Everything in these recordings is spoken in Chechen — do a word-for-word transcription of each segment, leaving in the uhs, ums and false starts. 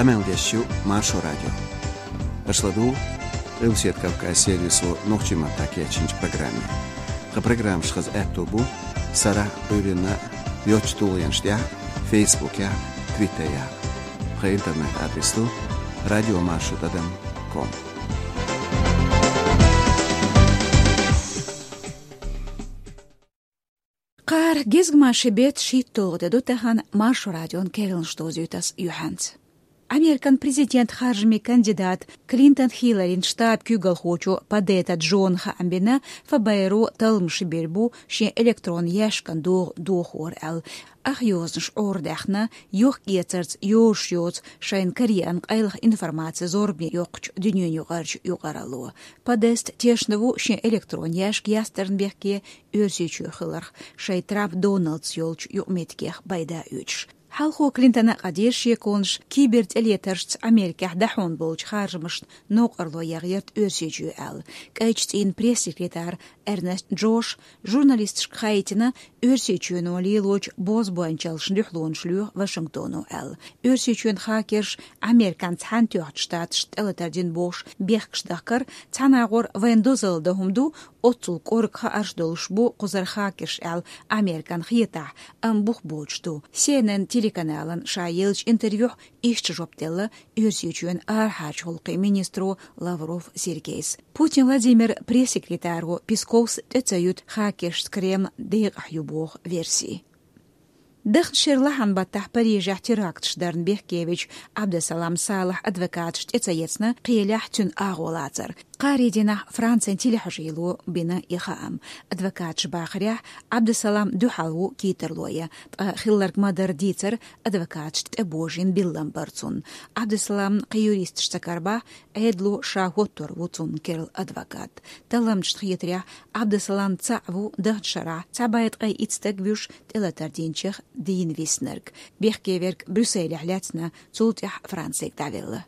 Къамел деш ю Маршо радио. Аша ладугӀу Къилбаседа Кавказ сервисо нохчийн маттахь кечйинчу программе. Тхан программаш хаза аьтто бу сарахь а, Ӏуьйранна а йоцчу тулгӀенаш тӀехь а, Фейсбукехь а, Твиттерехь а. Тхан интернет-адрес ду радиомаршо тӀадам ком. Кхара гезгмашин беттан шийтталгӀа де ду тахана, Маршо радион керланаш довзуьйту ас юьхьанца. Американ президентан харжамийн кандидат Клинтон Хилларин штабан куьйгалхочо Подетта Джона хаам бина, ФБР-о талламаш бийр бу шен электронан яьшкан догӀа дохор аьлла. Ах йозанаш Ӏорадаьхна, йохк-эцарца йозуш йоцу шайна караеана къайлаха информаци зорбане йоккхучу дуьненаюкъарчу юкъаралло. Подетта тешна ву шен электронан яьшка ястарна бехке Оьрсийчоь хиларх, шайн Трамп Доналдца йолчу юкъаметтигех пайда оьцуш. Хьалхо Клинтона а къадийра шеконаш кибертӀелетаршца Америкехь дӀахьон болчу харжамашна новкъарло яхъярт Оьрсийчоь аьлла. КӀайчу цӀийнан пресс-секретарь Эрнест Джоша журналисташка хаийтина, Оьрсийчоьно лелочу бозбуунчаллашна дуьхьалонаш лоьху Вашингтоно аьлла. Оьрсийчоьнан хакерша Американ Цхьаьнатоьхначу Штаташна тӀелатар дина бохуш бехкаш дахкар, цхьана агӀор вайна дозалла дан хӀума ду, оццул кӀорга хаарш долуш бу кхузара хакерш аьлла Американ хетахь, амма бух боцуш ду. Си Эн Эн телеканалан ша еллачу интервьюхь иштта жоп делла Оьрсийчоьнан арахьарчу гӀуллакхийн министро Лавров Сергейс. Путин Владимиран пресс-секретаро Песковс тӀе ца юьту хакершца Кремль декъахь ю боху верси. Даханчу шеран лахьан баттахь Парижехь теракташ дарна бехкевечу Абдесалам Салахьан адвокаташ тӀе ца ецна кхелехь цуьнан агӀо лацар. Кхаарин дийнахь Францин телехьажийло бина и хаам. Адвокаташа бахарехь, Абдесалам дуьхьал ву кийттарло ян, ткъа хилларг ма-дарра дийцар, адвокаташна тӀебожийна биллам бара цунна. Абдесаламна кхин юристаш ца карабахь, Ӏедало ша хӀоттор ву цунна керла адвокат. Талламчашна хетарехь, Абдесалам цхьаъ ву даханчу шарахь цхьа бӀе ткъе итт стаг вуьйш тӀелатар динчех дийна виснарг. Бехкеверг Брюсселехь лаьцна, цул тӀаьхьа Францига дӀавелла.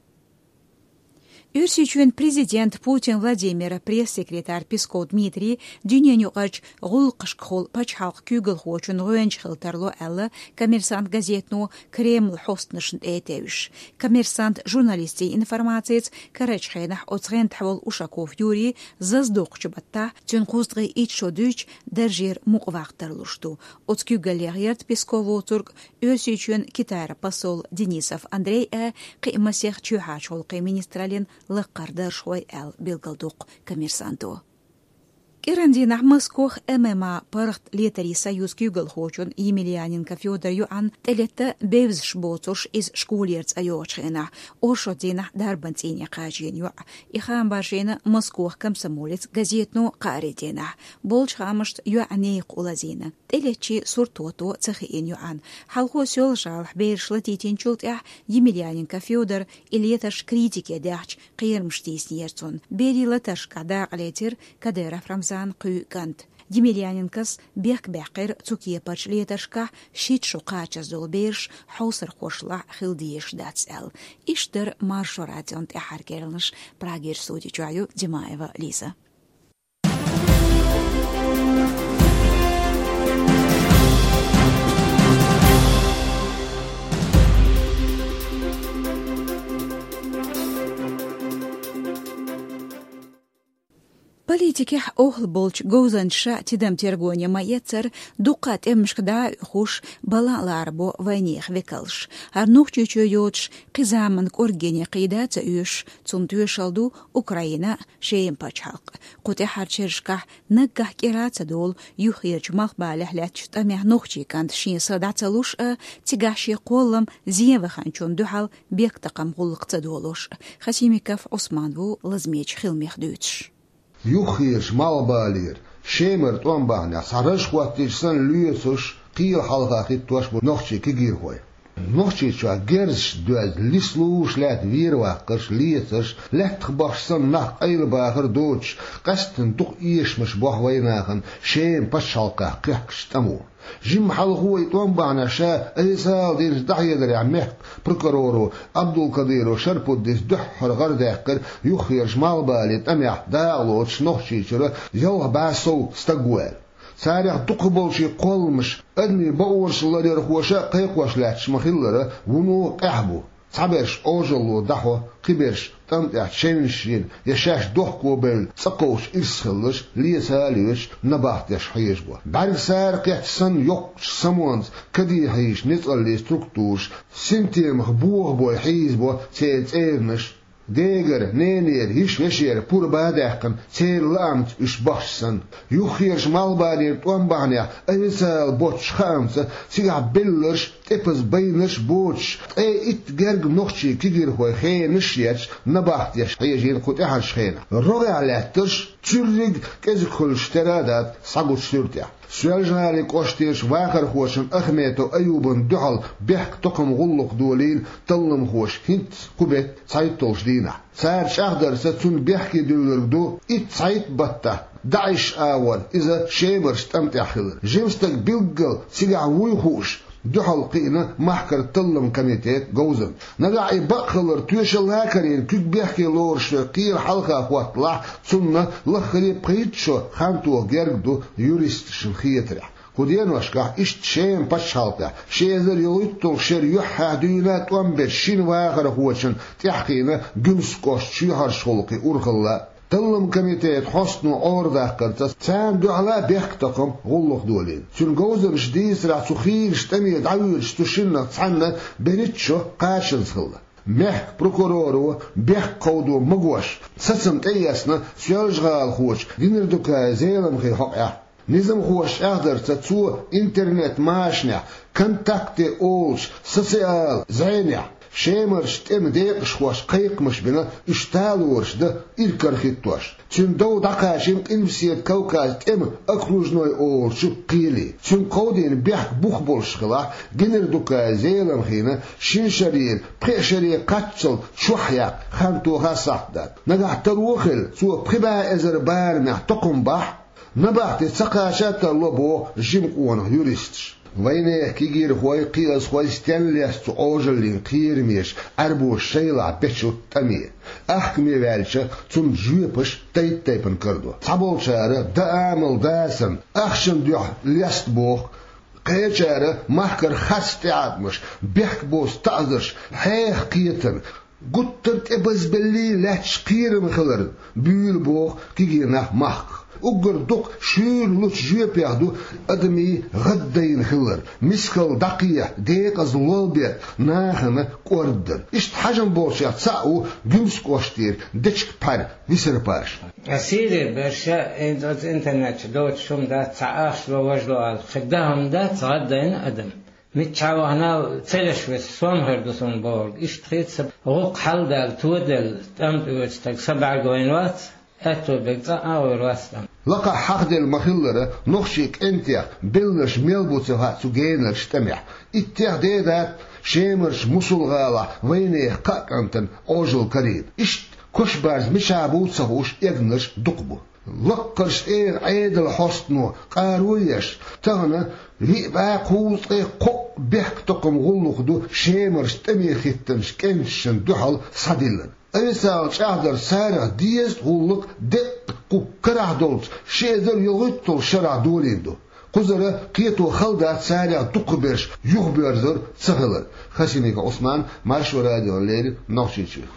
Оьрсийчоьнан президентан Путин Владимиран пресс-секретарь Песков Дмитрий дуьненаюкъарчу гӀуллакхашкахула пачхьалкхан куьйгалхочун гӀоьнча хила тарло аьлла, Коммерсант газетано Кремлан хьостанашна тӀе а тевжаш. Коммерсант журналистийн информацица, карарчу хенахь оцу гӀентахь волу Ушаков Юрий зазадоккхучу баттахь, цуьнан кхузткъе итт шо дуьйцуш, даржера мукъаваккха тарлуш ду. Оцу куьйгаллех яра Песков воцург Оьрсийчоьнан Китайра посол Денисов Андрей а, кхин а масех чоьхьарчу гӀуллакхийн министраллин лаккхара даржхой аьлла билгалдоккху Коммерсанто. КӀиран дийнахь Москох ММА паргӀат летарийн союзан куьйгалхочун Емельяненко Фёдоран йоӀанна тӀелетта бевзаш боцурш иза школера цӀа йогӀучу хенахь, оршот дийнахь дарбан цӀийне кхачийна йоӀ. И хаам баржийна Москох «Комсомолец» газетано кхаарин дийнахь. Болчу хаамашца йоӀ некха улазийна. ТӀелеттачийн сурт хӀотто ца хиина йоӀанна. Хьалхо Соьлжа-ГӀалахь бераш латийтинчул тӀаьхьа Емельяненко Фёдора и летарш критике даьхча, кхерамаш тийсинера цунна. Берийн латаршкахь дакъа лецира Кадыров Рамзанан кхоь кӀант. Емельяненкос бехк баьккхира цу кепарчу летаршкахь шийтта шо кхачаза долу бераш хьовсархошлахь хила дезаш дац аьлла. Иштта дара Маршо радион тӀаьххьара керланаш. Прагера студи чохь ю Димаева Лиза. Политикехь охьал болчу говзанчаша тидам-тергоне ма-эццара, дуккха а тӀемашка дӀа а оьхуш, балан а ларбо вайнехан векалш. ХӀара Нохчийчоь йоцуш кхин заманан кӀоргене кхийда а ца оьшуш, цунна тоьшалла ду Украина а, Шеман пачхьалкх а. Кху тӀаьххьарчу шерашкахь наггахь кӀира а ца долу юххерчу Малхбалехь лаьттачу тӀамехь нохчийн кӀанта шен са дӀа ца луш а, цигахь шен кхоллам зен ваханчунна дуьхьал бехктакхаман гӀуллакх ца долуш а. Хасимиков Ӏусман ву лазамечу хиламех дуьйцуш. Юххерчу Малхбалера, Шемара тӀом бахьанехь цхьа раж хӀоттийча санна лоьцуш, кхелан хьалха хӀиттош бу нохчийн кегийрхой. Нохчийчохь герзаш доьзна, лис луш лаьтта вер ваккхарш, лецарш, лаьттах бахча санна нах къайлабахар доцуш, къаьсттина дукха эшамаш бохьу вайнахана Шеман пачхьалкхехь кхехкачу тӀамо. Жимма хьалхо и тӀом бахьанехь ша айса ала динчу дӀахьедарехь мехкан прокуроро Абдулкадыров Шарпуддис дуьххьара гӀара даьккхира юххерчу Малхбале тӀамехь дакъа лоцуш Нохчийчуьра ялх бӀе сов стаг ву аьлла. Царех дукхахболчийн кхолламаш адамийн бакъонаш ларъярхоша а кхайкхош лаьтташ ма-хиллара, вуно къаьхьа бу. Цхьаберш Ӏожалло дӀахьо, кхыберш тӀам тӀехь чевнаш йина я шаьш дохко бевлла цӀа кховчу ирс хиларш леца а лоьцуш набахтеш хьежабо. БӀаьргсара кхетта санна йоккхачу самонца каде хьийзаш ницкъаллин структураш синтемах бохабой хьийзабо церан цӀеранаш. Дегара, ненера, йиша-вешера пурба а даьккхина, церан лаамца уьш бахча санна. Юххерчу малхбалера тӀом бахьанехь официалан боцчу хаамца цигахь белларш, тӀепаза байнарш боцуш, ткъе итт герга нохчийн кегийрхой хенаш а етташ набахтеш хьежийна кху тӀаьхьарчу хенахь. РогӀехь лаьттарш цуьрриг кӀезиг хуьлуш тера а дац схьагучу суьртехь. Соьлжа-ГӀалин кӀоштарчу вахархочун Ахметов Аюбан дуьхьал бехктакхаман гӀуллакх долийна талламхоша хӀинцца кху беттан цхьайтталгӀачу дийнахь. Цара чӀагӀдарца, цунна бехке дуьллург ду итт цхьайтта баттахь ДАИШ агӀор иза Шемарчу тӀам тӀехь хилар. Жима стаг билггал цигахь вуй хууш, дуьхьал кхиъна махкара талламан комитетан говзанчаш. Нагахь и бакъ хилар тоьшалла а карийна, куьг бехке лоруш верг кхелан хьалха хӀотталахь, цунна лаххаре а пхийтта шо хан тоха герга ду юристашна хетарехь. Кху деношкахь иштта Шеман пачхьалкхехь ши эзар ялхитталгӀачу шеран юьххьехь дуьйна а тӀом бечу шина вахархочунна тӀаьхьахиъна Гуьмсан кӀоштан чоьхьарчу гӀуллакхийн урхалла а. Талламан комитетан хьостано Ӏорадаккхарца, царна дуьхьал а бехктакхаман гӀуллакх долийна. Цуьнан говзанчаша дийцарехь, цу хийрачу тӀаме дӀавоьдуш цу шиннах цхьанна берхӀитта шо кхачанза хилла. Мехкан прокуроро бехк кховдо магош сацам тӀеэцна Соьлжа-ГӀалахочу Генердукаев Зеламхин хьокъехь. Низамхоша чӀагӀдарца, цо интернет-машанехь, «ВКонтакте» олучу социал зӀенехь, Шемарчу тӀеман декъашхошка кхайкхамаш бина, уьш талораш дан иракарахӀиттош. Цуьнан дов дӀакхачийна Къилбаседа Кавказан тӀеман окружной олучу кхеле. Цуьнга кховдийна бехк бух болуш хилахь, Генердукаев Зеламхина шина шарера пхеа шаре кхаччалц чохь яккха хан тоха а сахьт дац. Нагахь таро а хилла, цо пхи бӀе эзар барамехь токхам бахь, набахти ца кхача а тарло, боху жима къонах юристаша. Вайнехан кегийрхой, кхиазхой стенна лестац цу Ӏожаллин кхерамеша Ӏаьрбоша шайлахь бечу тӀаме? Ахкаме ваьлча, цунна жоьпаш тайп-тайпана карадо. Цхьаболчара дан амал дацарна, ахчана дуьхьа леста боху, кхечара махкара харц тӀеӀаткъамаш, бехк боцу таӀзарш, хьеха кхетар, гуттар а тӀебазбеллий лаьтташ кхерам хиларна буьйлу боху кегий нах махках. Уггар дукха шуьйра лучу жоьпех ду адамийн гӀаддайна хилар, мискалла дӀакхехьа, декъаза лолбер, нахана кӀордадар. Иштта хьажам болчех цхьаъ ву Гуьмсан кӀоштера Дечка-Пхьар Висар-Паша. Сири берша, э, оцу интернет чу доцуш хӀума дац, цхьа ахча ло, важа ло аьлла, кхин дан хӀума дац, гӀаддайна адам. Миччахьа вахана а ца веш веза, сом хир ду суна бохург. Иштта хета сан, гӀуллакх хьалдаьлла, тоделла, тӀам тӀе воьду стаг са бӀаьрг вайна вац, аьтто берг цкъа а гӀур вац тӀам. Лакхахь хьахделла ма-хиллара, нохчийн кӀентех белларш мел бу ца хаьа цу генарчу тӀамехь. Иттех дедац Шемарчу Мусул-ГӀалахь вайнехан кхаа кӀантана Ӏожалла карийна. Иштта кошбарз мичахь бу ца хууш, эгнарш дукха бу. Лаккхарчу тӀера Ӏедалан хьостано къаро а еш, тахана виъ бӀе кхузткъе кхоъ бехктакхаман гӀуллакх ду Шемарчу тӀаме хӀиттинчу кӀенташна дуьхьал схьадиллина. Официалан чӀагӀдарца, царах дезткъа гӀуллакх деккъа кху карахь долчу ши эзар ялхитталгӀачу шарахь долийна ду. Кхузара кхето хала дац царех дукхахберш юхабоьрзур ца хилар. Хасимиков Ӏусман, Маршо радиона леррина, Нохчийчуьра.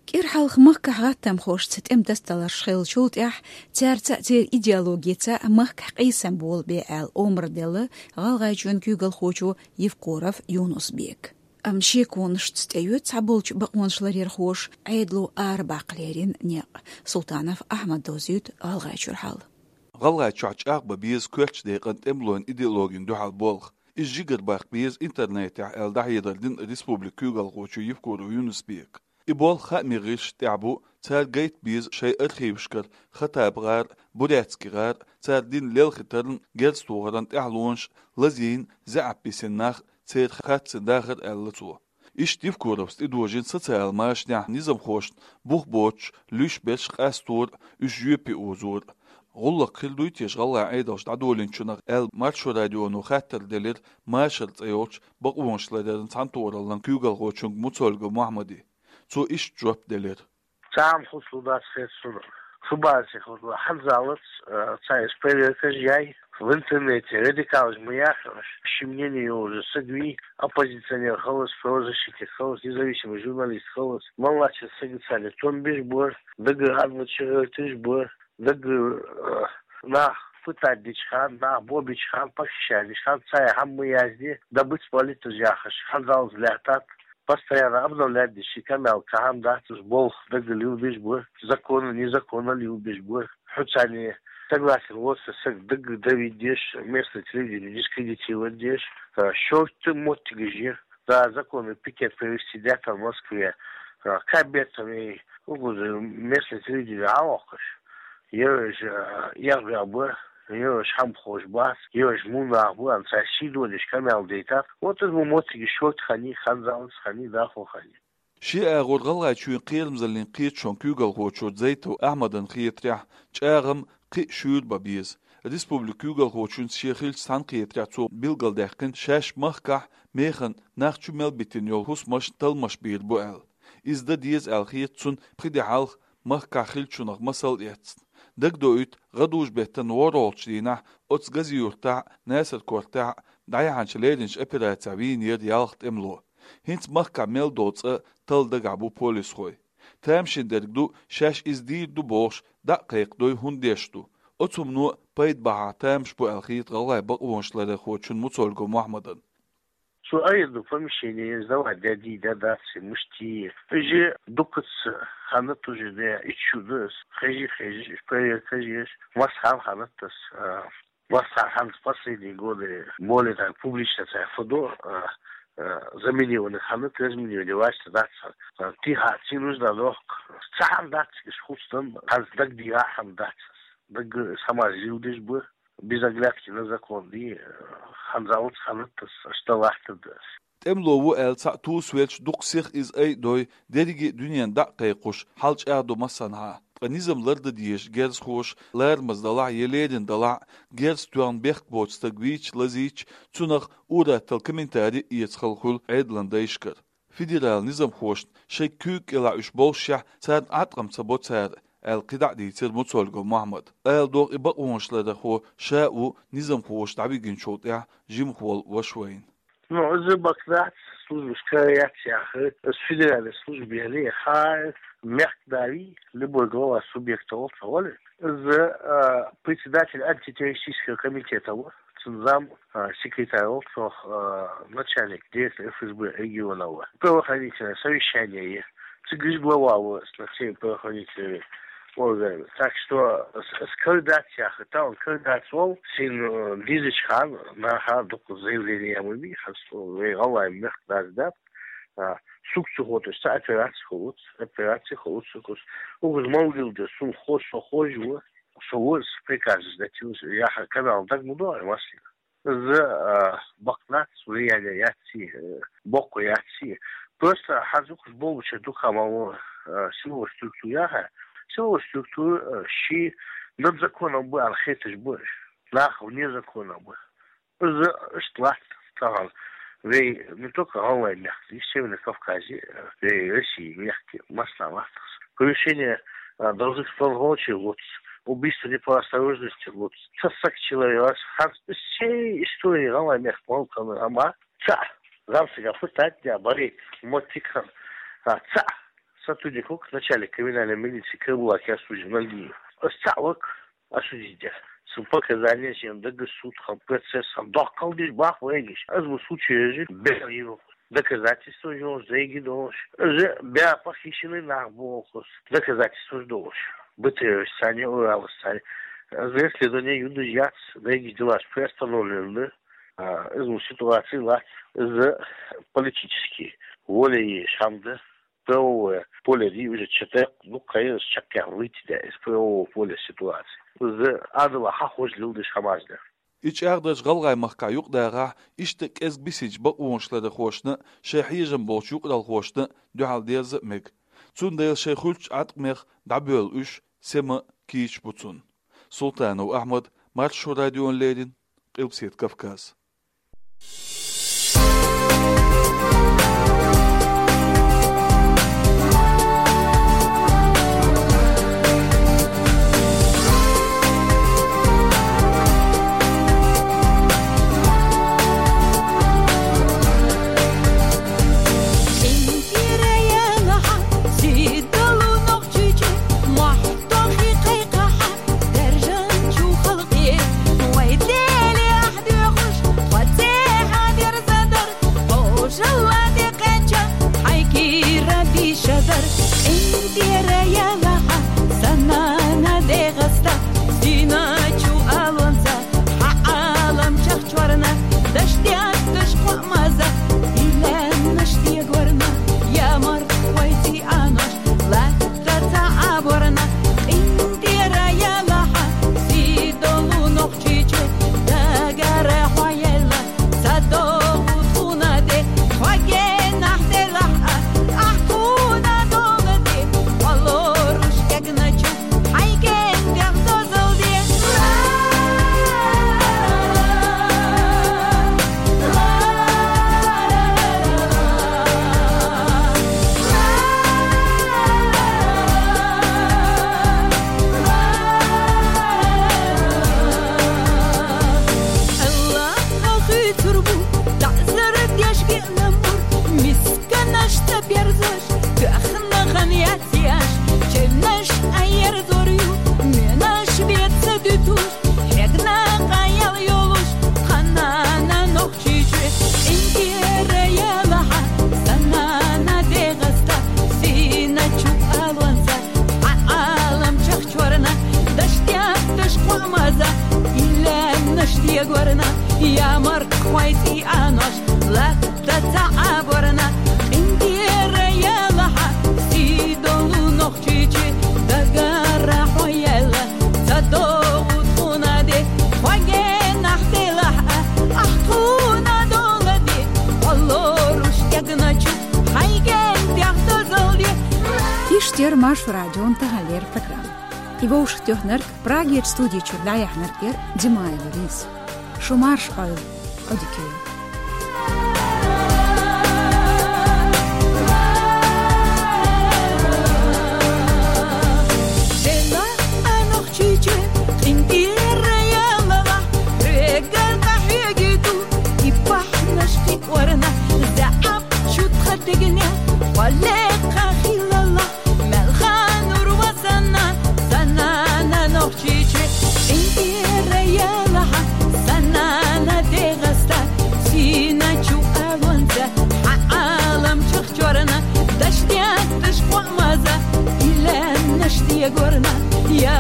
КӀира хьалха махкахь гӀаттамхошца тӀеман тасадаларш хиллачул тӀаьхьа, цаьрца а, церан идеологица а махкахь къийсам болабе аьлла омра делла ГӀалгӀайчоьнан куьйгалхочо Евкуров Юнус-Бека. Амма шеконашца тӀеоьцу цхьаболчу бакъонашларъярхоша Ӏедало арабаккха леррина некъ. Султанов Ахьмада дозуьйту ГӀалгӀайчуьра хьал. ГӀалгӀайчохь чӀагӀбан беза коьртачу декъана тӀемалойн идеологина дуьхьал болх. Иза жигара баккха беза интернетехь аьлла, дӀахьедар дина республикан куьйгалхочо Евкуров Юнус-Бека. И болх хаамийн гӀирсашна тӀехь бу, цара гайта беза шайн архивашкара Хаттаб-гӀар, Бурятский-гӀар, цара дина лелхийтаран, герз тохаран тӀаьхьалонаш, лазийна, заьӀап бисина нах, церан харцан дахар, аьлла цо. Иштта Евкуровс тӀедожийна социалан машанехь низамхошна бух боцуш луьйш берш къастор а, уьш жоьпе озор а. ГӀуллакх хир дуй теша гӀалгӀайн Ӏедалша дӀадолийначунах аьлла, Маршо радионо хаттар делира Машар цӀе йолчу бакъонашларъяран цхьаьнатохараллин куьйгалхочуьнга Муцольгов Мохьмада. Цо иштта жоп делира. Цхьа а хӀума хуьлуш дац хета суна. Шу бацахь, хӀанзалц, э, цхьа эс проверкаш яй, В интернете радикалаш ма яхаш, ший мнение йолаш саг вий, оппозиционер хилар из, правозащитник хилар из, независимый журналист хилар из, мел латтача сага царна тӀом беш бар, даггара адвокаташ гӀерташ бар, даггара, э, нах пытать деча хана, нах бо бича хана, похищать деча хана, цар хӀама ма язде, добыть политаж яхаш, хӀанзалца лаьттад, постоянно обновлять деш, ший къамаьл кхы хӀама дац, уж болх даггара лелабеш бар, законно, незаконно лелабеш бар. Хьо царна согласен воацаш саг даггара давить деш, местный телевидени дискредитировать деш, а, шортта моттигаш я. Да, законный пикет провести даьттад Москве, а, кхаь беттам, э, угуза местный телевидени Ӏовоаккхаш. Ераш, а, эгӀабаьнна ба, ераш хӀама ховш бац, ераш муннагӀа ба, аьнна, цар ший дола деш къамаьл дайтад. Вот из мо моттигаш шортта хиннай, хӀанзалца хиннай, дӀахо хиннай. Ши агӀор ГӀалгӀайчоа кхерамзаллин кхеташон куьйгалхочо Дзейтов Ахьмадана хетарехь, чӀагӀам кхы а шуьйра бан беза. Республикан куьйгалхочунца ше хилча цхьана кхетарехь цо билгалдаьккхина, шаьш махкахь механа нах чу мел битина йола хӀусамаш талламаш бийр бу аьлла. Из дан деза аьлла хета цунна, пхи ди хьалха махкахь хиллачунах масал а эцна. Дагадоуьйту, гӀадужу-беттан ворхӀалгӀачу дийнахь оцу Гази-Юртахь а, Наьсар-Кортехь а дӀаяхьначу леринчу операцехь вийнера ялх тӀемало. ХӀинца махкахь мел долу цӀа талла дагахь бу полисхой. Тамашийна дерг ду, шаьш иза дийр ду бохуш, дӀа а кхайкхадой, хӀунда деш ду. Оцу хӀумано пайда бахьа тамаш бу аьлла хета гӀалгӀайн бакъонашларъярхочунна Муцольгов Мохьмадана. Цо айина ду помещение сдавать даьдий, дац, муьшта. Иза дуккхаза ханна тужина, иччу ду ас, хезий, хезий, проверка езаш, масса ханна ханна тас, а, Васт хӀанз последние годы более так публично цхьа фу ду, а, а, заминированный ханна, разминирование вац дац. А, тӀехьа цхьа нужда дохку. Цхьа хӀама дац, иза хӀума дан, хӀанз дагадеха хӀама дац. Даггара ас хӀамаш зилдеш бу, без оглядки на закон, и, а, хӀанзалца ханна тас, аш дан латтар да ас. ТӀемало ву аьлла цхьаъ тосавелча дукха сиха иза айдой, дерриге а дуьненна дӀа а кхайкхош, хьал чӀагӀдо массанхьа. Ткъа низам лардан дезаш герзахоша, ларамаза далахь я лерина далахь, герз тоьхна бехк боцу стаг вийча, лазийча, цунах ур-атталла комментари а эца хала хуьлу Ӏедалан дайшкара. Федералан низамхошна шайн куьйга кӀелахь уьш боллушехь, царна Ӏаткъам ца бо цара, аьлла кхидӀа а дийцира Муцольгов Мохьмада. Ала догӀу, и бакъонашларъярхо ша а ву низамхоша дӀавигначул тӀаьхьа жимахволу ваша вайна. Ну, из бакъ дац, службаш кара яц яхар, из федеральный служба яхар, хьан мехкан да вий, любой глава субъекта волча гӀоле. Из, а, председатель антитеррористического комитета ву, цун зам, а, секретарь волча, а, начальник, директор ФСБ региона ву. Правоохранительное совещание е. Цигара глава ву, с всеми правоохранительными органами. Так что с, с кара дац яхар, тахана кара дац волу, шена, э, дезачу хана, наха дукха заявление ма бий, хьан со вай гӀалгӀайн мехкан да дац, а, суьгу ца хӀоттош цхьа операци хуьлуц, операци хуьлуц суьгу. Уггар ма вуьйла деза, суна хо-, со хоза ву, со ву, со приказаш датилаш, яхар канал дага ма догӀий массийна. Из, а, бакъ дац, влияние яц, э, боккха яц. Просто хьан зукхаш болча дукха ма ву, а, силовой структура яха. Силовой структура, а, ши над законом бу аьлла хеташ бу. Нах вне закона бу. Из иштта латта тахана. Вай не только гӀалгӀайн мехкан, и Северный Кавказе, а, вай России мехкан, массанхьа латта. Превышение, а, должностных полномочий луц, убийство не по осторожности луц. Ца саг человек, хьан всей истории гӀалгӀайн мехкан малтана, амма цхьаъ, зам сага пытать даь, баре, мотикан, а, цхьаъ сотрудник ву-кх начальник криминальной милиции Карабулакян Сужин Нальгиев. Ас цхьаъ ву-кх осудить даь. Цун показания, шен даггара суд хилла, процесс хилла, доккхал деш бах вайгаш. Из ма случай ежи, бер йина. Доказательстваш йолуш, зайги долуш. Из бер похищенный нах бохуш. Доказательстваш долуш. БТР-аш царна, Уралаш царна. Из расследование юдаш яц, зайги делаш приостановлен ду. А, из ма ситуация лац. Из политический воля еш хӀама да. Правовое поле дий, уже чекх, ну, конечно, чекх выйти, да, из правового поля ситуации. Из Ӏадала хьахожа лелдеш хӀамаш да. И чӀагӀдарш ГӀалгӀай махкахь юкъадахахь, иштта кӀезиг бисинчу бакъонашларъярхошна а, шайн хьежам болчу юкъаралхошна а дуьхьал дерза а мега. Цундела шайн хуьлучу Ӏаткъамех дӀабоьлла уьш сема а, кийча а бу цунна. Султанов Ахьмад, Маршо радиона леррина, Къилбаседа Кавказ. Ямаркхвай цӀийа нош латта цаӀабарна, къинтӀера яла гьа, сидолу Нохчийчи дагара хваяла, цадогъу тунаде, хвагенахь делагь а, ахъуна долади, къалоруш ягначу, хайген тяхтазалди. Иш тер Маршо радион тагьалер программа. И вовшахтёхнарг Прагер студия чуьр дӀаяхьнарг яр Димаева Лиза. Шу марша Ӏойла, Ӏодикайла. Дела а Нохчийчи, къинтӀера ялала, хӀуегар къахьегиду, и бахьнаш хикӀорна, зягӀап чутха дегне, хъвале къахилала, Мелханур ва Санна, Санана Нохчийчи, къинтӀера яла гьа, Санана Дегъаста, сина чу алонца, гьа Ӏалам чахчорна, дашдятташ къвамаза, илан наш диягорна, я